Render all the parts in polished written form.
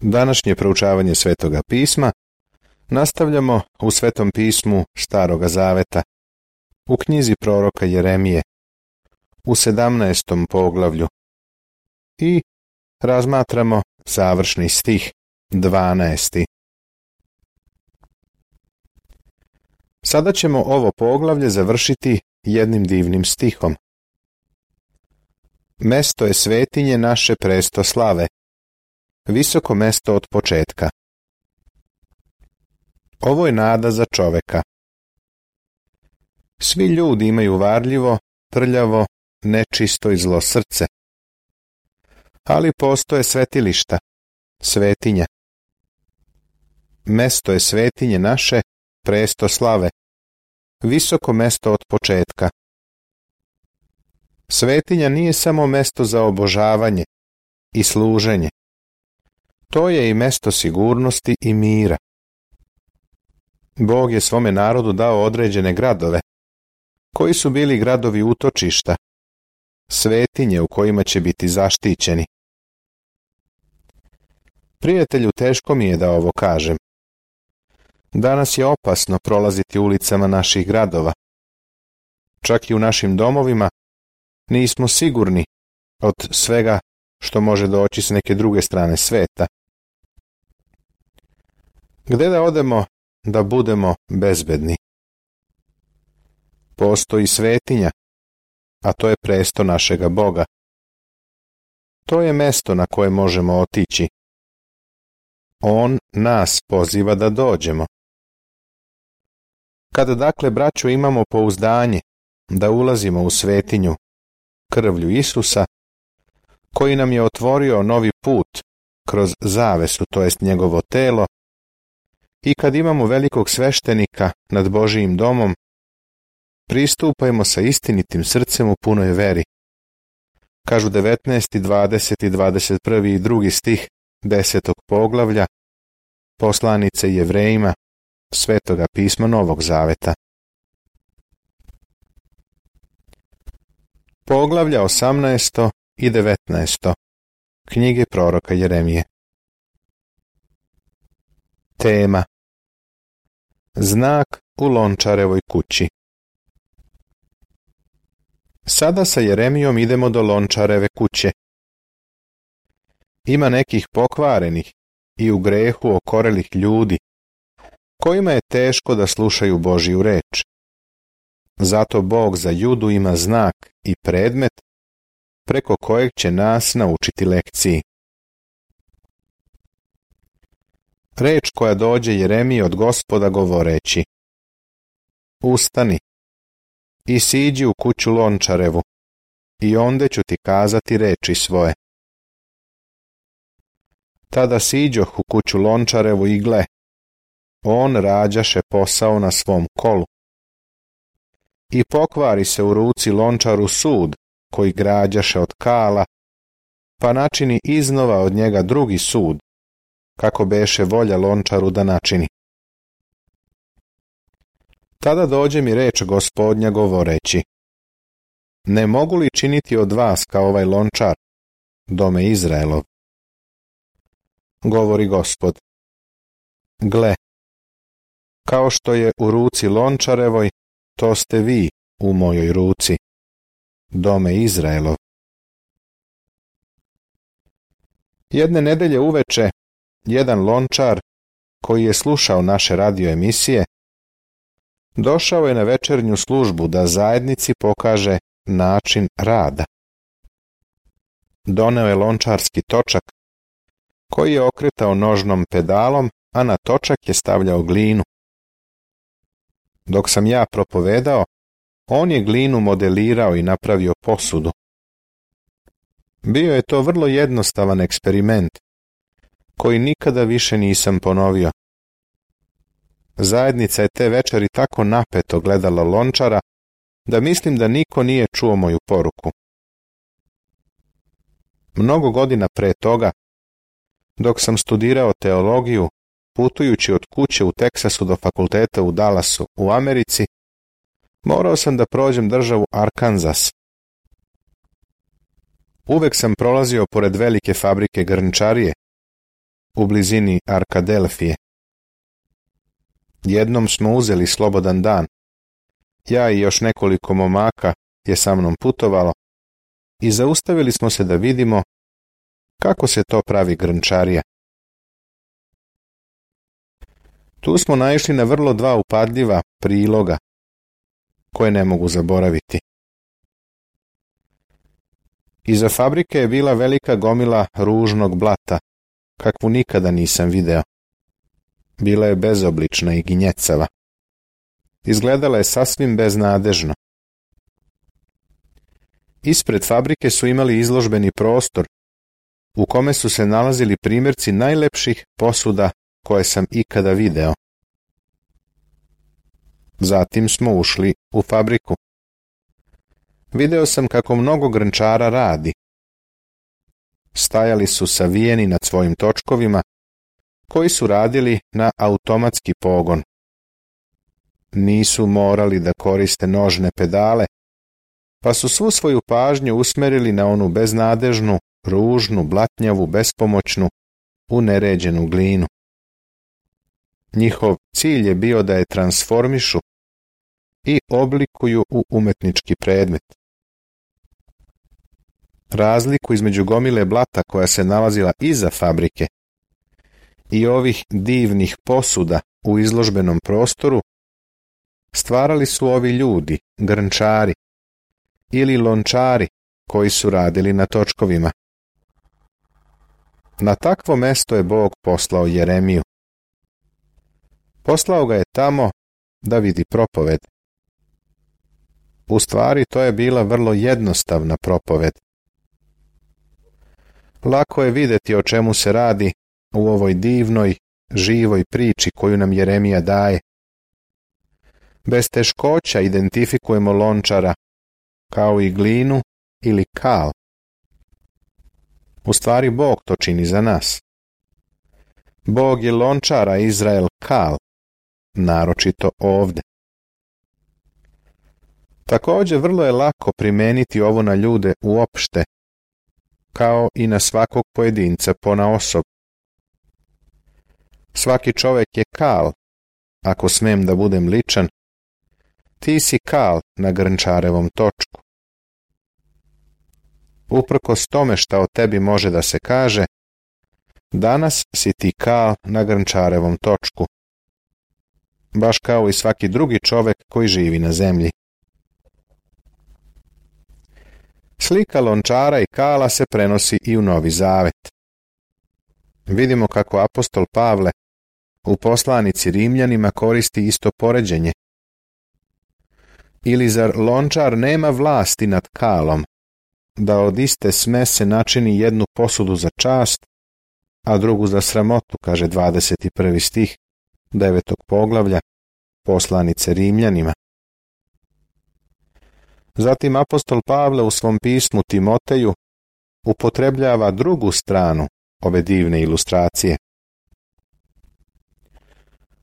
Današnje proučavanje Svetoga pisma nastavljamo u Svetom pismu Staroga zaveta, u knjizi proroka Jeremije, u 17. poglavlju i razmatramo završni stih, 12. Sada ćemo ovo poglavlje završiti jednim divnim stihom. Mesto je svetinje naše presto slave, visoko mesto od početka. Ovo je nada za čoveka. Svi ljudi imaju varljivo, prljavo, nečisto i zlo srce. Ali postoje svetilišta, svetinja. Mesto je svetinje naše, presto slave, visoko mesto od početka. Svetinja nije samo mesto za obožavanje i služenje. To je i mesto sigurnosti i mira. Bog je svome narodu dao određene gradove, koji su bili gradovi utočišta, svetinje u kojima će biti zaštićeni. Prijatelju, teško mi je da ovo kažem. Danas je opasno prolaziti ulicama naših gradova. Čak i u našim domovima nismo sigurni od svega što može doći s neke druge strane sveta. Gde da odemo da budemo bezbedni? Postoji svetinja, a to je presto našega Boga. To je mesto na koje možemo otići. On nas poziva da dođemo. Kada dakle, braćo, imamo pouzdanje da ulazimo u svetinju krvlju Isusa, koji nam je otvorio novi put kroz zavesu, to jest njegovo telo, i kad imamo velikog sveštenika nad Božijim domom, pristupajmo sa istinitim srcem u punoj veri. Kažu 19., 20., 21. i 2. stih 10. poglavlja poslanice Jevrejima Svetoga pisma Novog zaveta. Poglavlja 18. i 19. knjige proroka Jeremije. Tema: Znak u Lončarevoj kući. Sada sa Jeremijom idemo do Lončareve kuće. Ima nekih pokvarenih i u grehu okorelih ljudi, kojima je teško da slušaju Božiju reč. Zato Bog za Judu ima znak i predmet preko kojeg će nas naučiti lekciji. Reč koja dođe Jeremiji od Gospoda govoreći: Ustani i siđi u kuću Lončarevu, i onda ću ti kazati reči svoje. Tada siđoh u kuću Lončarevu i gle, on rađaše posao na svom kolu. I pokvari se u ruci Lončaru sud, koji građaše od kala, pa načini iznova od njega drugi sud, kako beše volja Lončaru da načini. Tada dođe mi reč Gospodnja govoreći: Ne mogu li činiti od vas kao ovaj Lončar, dome Izraelov? Govori Gospod: Gle, kao što je u ruci Lončarevoj, to ste vi u mojoj ruci, dome Izraelov. Jedne nedelje uveče, jedan lončar, koji je slušao naše radio emisije, došao je na večernju službu da zajednici pokaže način rada. Doneo je lončarski točak, koji je okretao nožnom pedalom, a na točak je stavljao glinu. Dok sam ja propovedao, on je glinu modelirao i napravio posudu. Bio je to vrlo jednostavan eksperiment, koji nikada više nisam ponovio. Zajednica je te večeri tako napeto gledala lončara, da mislim da niko nije čuo moju poruku. Mnogo godina pre toga, dok sam studirao teologiju, putujući od kuće u Teksasu do fakulteta u Dallasu u Americi, morao sam da prođem državu Arkansas. Uvek sam prolazio pored velike fabrike grnčarije, u blizini Arkadelfije. Jednom smo uzeli slobodan dan. Ja i još nekoliko momaka je sa mnom putovalo i zaustavili smo se da vidimo kako se to pravi grnčarija. Tu smo naišli na vrlo dva upadljiva priloga koje ne mogu zaboraviti. Iza fabrike je bila velika gomila ružnog blata, kakvu nikada nisam video. Bila je bezoblična i ginjecava. Izgledala je sasvim beznadežno. Ispred fabrike su imali izložbeni prostor u kome su se nalazili primjerci najlepših posuda koje sam ikada video. Zatim smo ušli u fabriku. Video sam kako mnogo grnčara radi. Stajali su savijeni nad svojim točkovima, koji su radili na automatski pogon. Nisu morali da koriste nožne pedale, pa su svu svoju pažnju usmerili na onu beznadežnu, ružnu, blatnjavu, bespomoćnu, uneređenu glinu. Njihov cilj je bio da je transformišu i oblikuju u umetnički predmet. Razliku između gomile blata koja se nalazila iza fabrike i ovih divnih posuda u izložbenom prostoru stvarali su ovi ljudi, grnčari ili lončari koji su radili na točkovima. Na takvo mesto je Bog poslao Jeremiju. Poslao ga je tamo da vidi propoved. U stvari to je bila vrlo jednostavna propoved. Lako je vidjeti o čemu se radi u ovoj divnoj, živoj priči koju nam Jeremija daje. Bez teškoća identifikujemo lončara kao i glinu ili kal. U stvari Bog to čini za nas. Bog je lončara, Izrael kal, naročito ovde. Također vrlo je lako primijeniti ovo na ljude uopšte, kao i na svakog pojedinca ponaosob. Svaki čovjek je kal, ako smem da budem ličan, ti si kal na grnčarevom točku. Uprkos tome šta o tebi može da se kaže, danas si ti kal na grnčarevom točku, baš kao i svaki drugi čovjek koji živi na zemlji. Slika lončara i kala se prenosi i u Novi Zavet. Vidimo kako apostol Pavle u poslanici Rimljanima koristi isto poređenje. Ili zar lončar nema vlasti nad kalom, da od iste smese načini jednu posudu za čast, a drugu za sramotu, kaže 21. stih 9. poglavlja poslanice Rimljanima. Zatim apostol Pavle u svom pismu Timoteju upotrebljava drugu stranu ove divne ilustracije.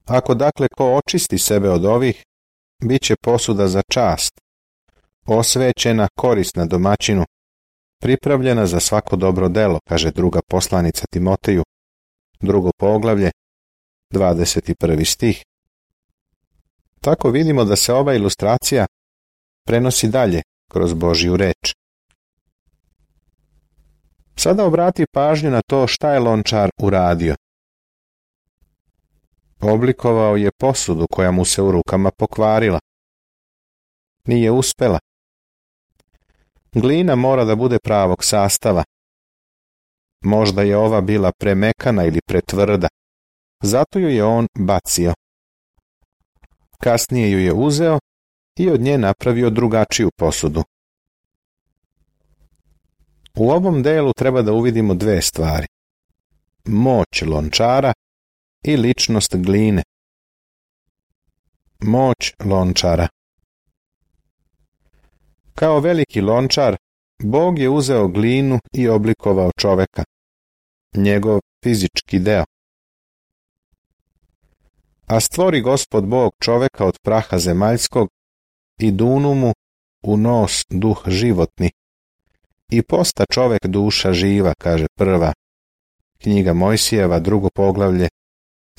Ako dakle ko očisti sebe od ovih, bit će posuda za čast, osvećena, korisna domaćinu, pripravljena za svako dobro delo, kaže druga poslanica Timoteju, 2. poglavlje, 21. stih. Tako vidimo da se ova ilustracija prenosi dalje kroz Božju reč. Sada obrati pažnju na to šta je lončar uradio. Oblikovao je posudu koja mu se u rukama pokvarila. Nije uspela. Glina mora da bude pravog sastava. Možda je ova bila premekana ili pretvrda, zato ju je on bacio. Kasnije ju je uzeo i od nje napravio drugačiju posudu. U ovom delu treba da uvidimo dve stvari. Moć lončara i ličnost gline. Moć lončara. Kao veliki lončar, Bog je uzeo glinu i oblikovao čoveka, njegov fizički deo. A stvori Gospod Bog čoveka od praha zemaljskog i dunu mu u nos duh životni. I posta čovek duša živa, kaže prva Knjiga Mojsijeva, 2. poglavlje,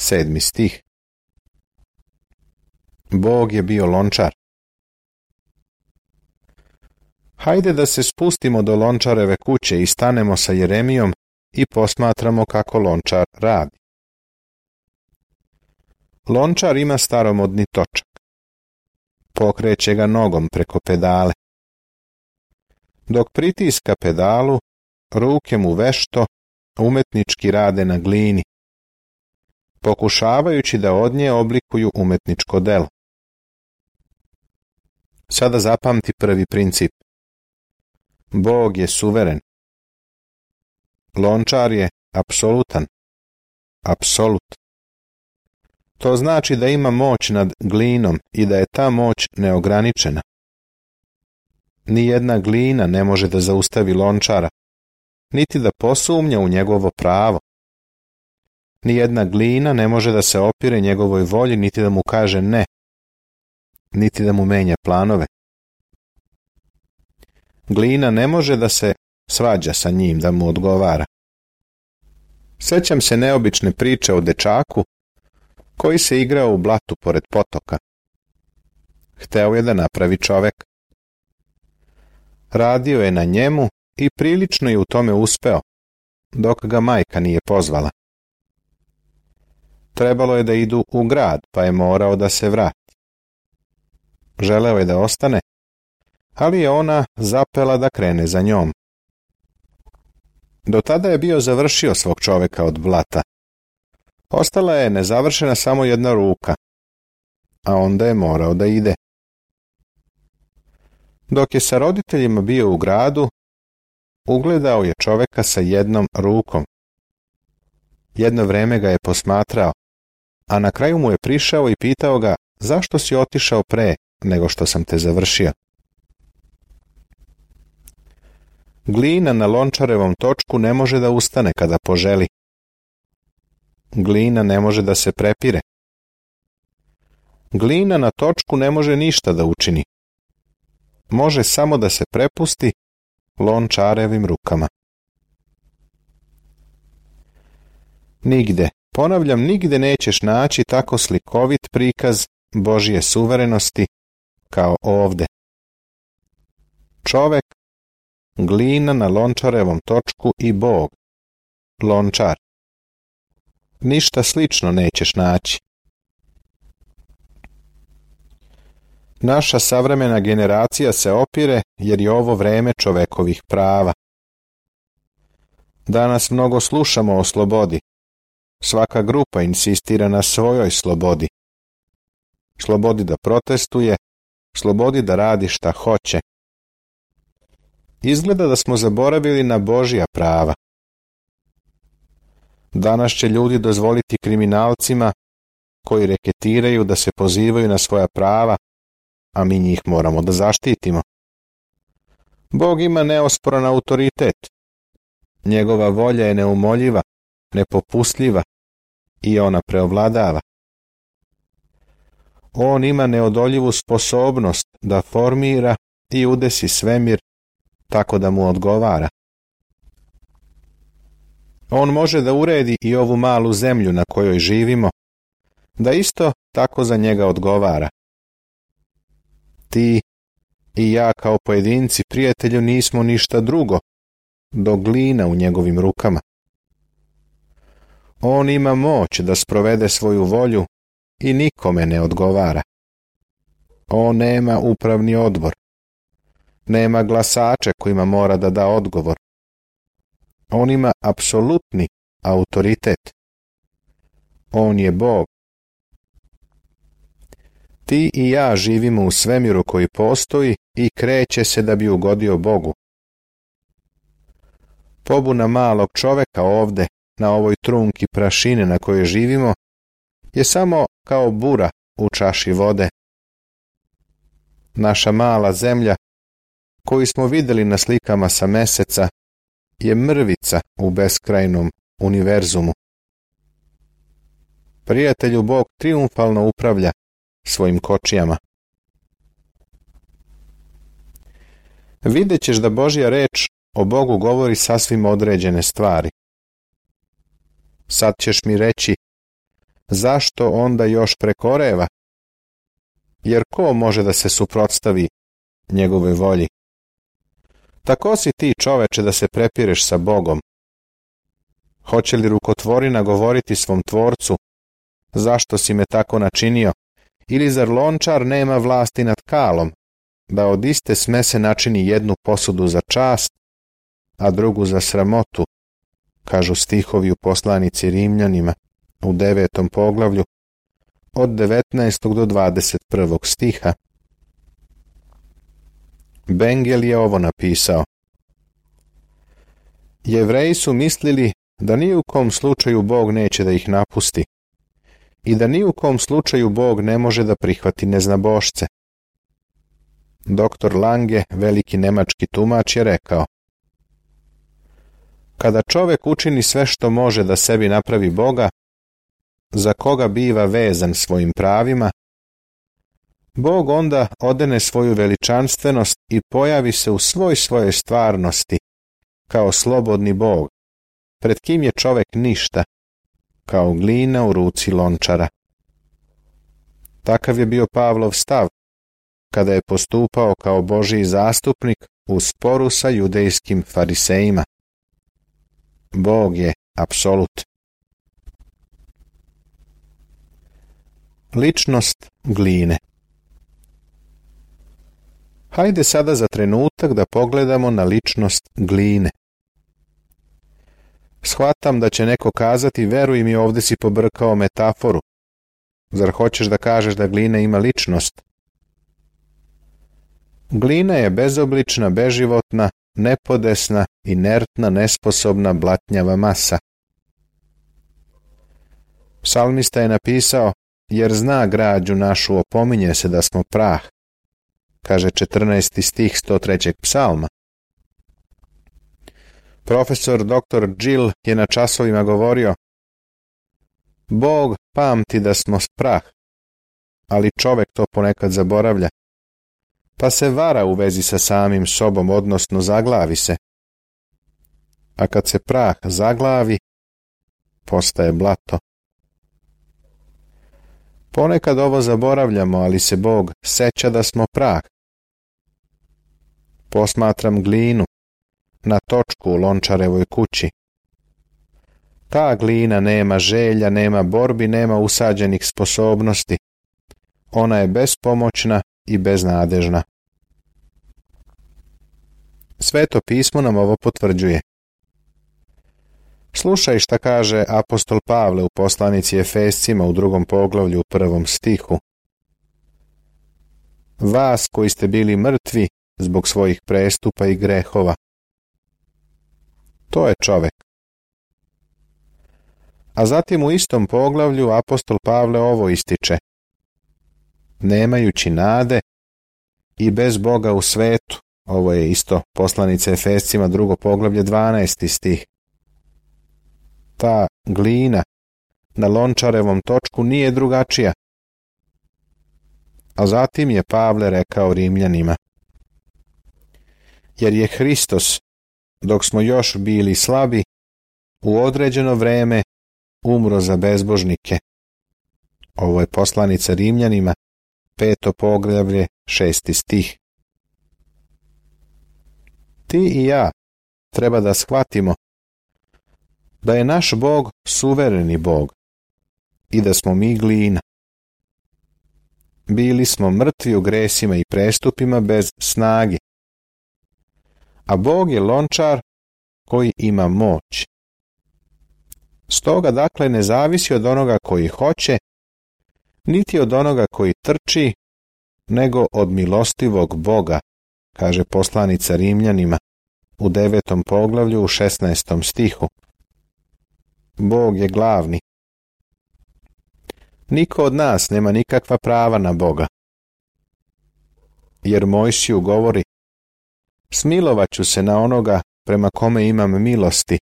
7. stih. Bog je bio lončar. Hajde da se spustimo do lončareve kuće i stanemo sa Jeremijom i posmatramo kako lončar radi. Lončar ima staromodni točak. Pokreće ga nogom preko pedale. Dok pritiska pedalu, ruke mu vešto, umetnički rade na glini, pokušavajući da od nje oblikuju umetničko delo. Sada zapamti prvi princip. Bog je suveren. Lončar je apsolutan. Apsolut. To znači da ima moć nad glinom i da je ta moć neograničena. Nijedna glina ne može da zaustavi lončara, niti da posumnja u njegovo pravo. Nijedna glina ne može da se opire njegovoj volji, niti da mu kaže ne, niti da mu menja planove. Glina ne može da se svađa sa njim, da mu odgovara. Sećam se neobične priče o dečaku koji se igrao u blatu pored potoka. Hteo je da napravi čovek. Radio je na njemu i prilično je u tome uspeo, dok ga majka nije pozvala. Trebalo je da idu u grad, pa je morao da se vrati. Želeo je da ostane, ali je ona zapela da krene za njom. Do tada je bio završio svog čoveka od blata. Ostala je nezavršena samo jedna ruka, a onda je morao da ide. Dok je sa roditeljima bio u gradu, ugledao je čoveka sa jednom rukom. Jedno vreme ga je posmatrao, a na kraju mu je prišao i pitao ga: zašto si otišao pre nego što sam te završio? Glina na lončarevom točku ne može da ustane kada poželi. Glina ne može da se prepire. Glina na točku ne može ništa da učini. Može samo da se prepusti lončarevim rukama. Nigde, ponavljam, nigde nećeš naći tako slikovit prikaz Božje suverenosti kao ovde. Čovek, glina na lončarevom točku i Bog, lončar. Ništa slično nećeš naći. Naša savremena generacija se opire jer je ovo vreme čovekovih prava. Danas mnogo slušamo o slobodi. Svaka grupa insistira na svojoj slobodi. Slobodi da protestuje, slobodi da radi šta hoće. Izgleda da smo zaboravili na Božja prava. Danas će ljudi dozvoliti kriminalcima koji reketiraju da se pozivaju na svoja prava, a mi njih moramo da zaštitimo. Bog ima neosporan autoritet. Njegova volja je neumoljiva, nepopustljiva i ona preovladava. On ima neodoljivu sposobnost da formira i udesi svemir tako da mu odgovara. On može da uredi i ovu malu zemlju na kojoj živimo, da isto tako za njega odgovara. Ti i ja kao pojedinci, prijatelju, nismo ništa drugo do glina u njegovim rukama. On ima moć da sprovede svoju volju i nikome ne odgovara. On nema upravni odbor. Nema glasače kojima mora da da odgovor. On ima apsolutni autoritet. On je Bog. Ti i ja živimo u svemiru koji postoji i kreće se da bi ugodio Bogu. Pobuna malog čoveka ovde, na ovoj trunki prašine na kojoj živimo, je samo kao bura u čaši vode. Naša mala zemlja, koju smo videli na slikama sa meseca, je mrvica u beskrajnom univerzumu. Prijatelju, Bog triumfalno upravlja svojim kočijama. Vidjet ćeš da Božja reč o Bogu govori sasvim određene stvari. Sad ćeš mi reći, zašto onda još prekoreva? Jer ko može da se suprotstavi njegove volji? Tako si ti, čoveče, da se prepireš sa Bogom. Hoće li rukotvorina govoriti svom tvorcu, zašto si me tako načinio? Ili zar lončar nema vlasti nad kalom, da od iste smese načini jednu posudu za čast, a drugu za sramotu, kažu stihovi u poslanici Rimljanima u 9. poglavlju od 19. do 21. stiha. Bengel je ovo napisao. Jevreji su mislili da ni u kom slučaju Bog neće da ih napusti i da ni u kom slučaju Bog ne može da prihvati neznabošce. Doktor Lange, veliki nemački tumač, je rekao: kada čovek učini sve što može da sebi napravi Boga, za koga biva vezan svojim pravima, Bog onda odene svoju veličanstvenost i pojavi se u svojoj stvarnosti, kao slobodni Bog, pred kim je čovek ništa, kao glina u ruci lončara. Takav je bio Pavlov stav, kada je postupao kao Božji zastupnik u sporu sa judejskim farisejima. Bog je apsolut. Ličnost gline. Hajde sada za trenutak da pogledamo na ličnost gline. Shvatam da će neko kazati, veruj mi, ovdje si pobrkao metaforu. Zar hoćeš da kažeš da glina ima ličnost? Glina je bezoblična, beživotna, nepodesna, inertna, nesposobna, blatnjava masa. Psalmista je napisao, jer zna građu našu, opominje se da smo prah, kaže 14. stih 103. psalma. Profesor dr. Gill je na časovima govorio: Bog pamti da smo prah, ali čovek to ponekad zaboravlja, pa se vara u vezi sa samim sobom, odnosno zaglavi se. A kad se prah zaglavi, postaje blato. Ponekad ovo zaboravljamo, ali se Bog seća da smo prah. Posmatram glinu na točku u lončarevoj kući. Ta glina nema želja, nema borbi, nema usađenih sposobnosti. Ona je bespomoćna i beznadežna. Sveto pismo nam ovo potvrđuje. Slušaj šta kaže apostol Pavle u poslanici Efescima u 2. poglavlju u 1. stihu. Vas koji ste bili mrtvi zbog svojih prestupa i grehova. To je čovek. A zatim u istom poglavlju apostol Pavle ovo ističe. Nemajući nade i bez Boga u svetu. Ovo je isto poslanica Efescima 2. poglavlje 12. stih. Ta glina na lončarevom točku nije drugačija. A zatim je Pavle rekao Rimljanima: jer je Hristos, dok smo još bili slabi, u određeno vreme umro za bezbožnike. Ovo je poslanica Rimljanima, 5. poglavlje, 6. stih. Ti i ja treba da shvatimo da je naš Bog suvereni Bog i da smo mi glina. Bili smo mrtvi u gresima i prestupima bez snage, a Bog je lončar koji ima moć. Stoga dakle ne zavisi od onoga koji hoće, niti od onoga koji trči, nego od milostivog Boga, kaže poslanica Rimljanima u 9. poglavlju u 16. stihu. Bog je glavni. Niko od nas nema nikakva prava na Boga. Jer Mojsiju govori: smilovat ću se na onoga prema kome imam milosti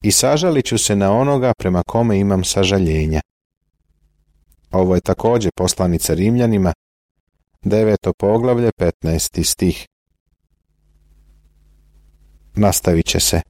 i sažalit ću se na onoga prema kome imam sažaljenja. Ovo je također poslanica Rimljanima, 9. poglavlje, 15. stih. Nastavit će se.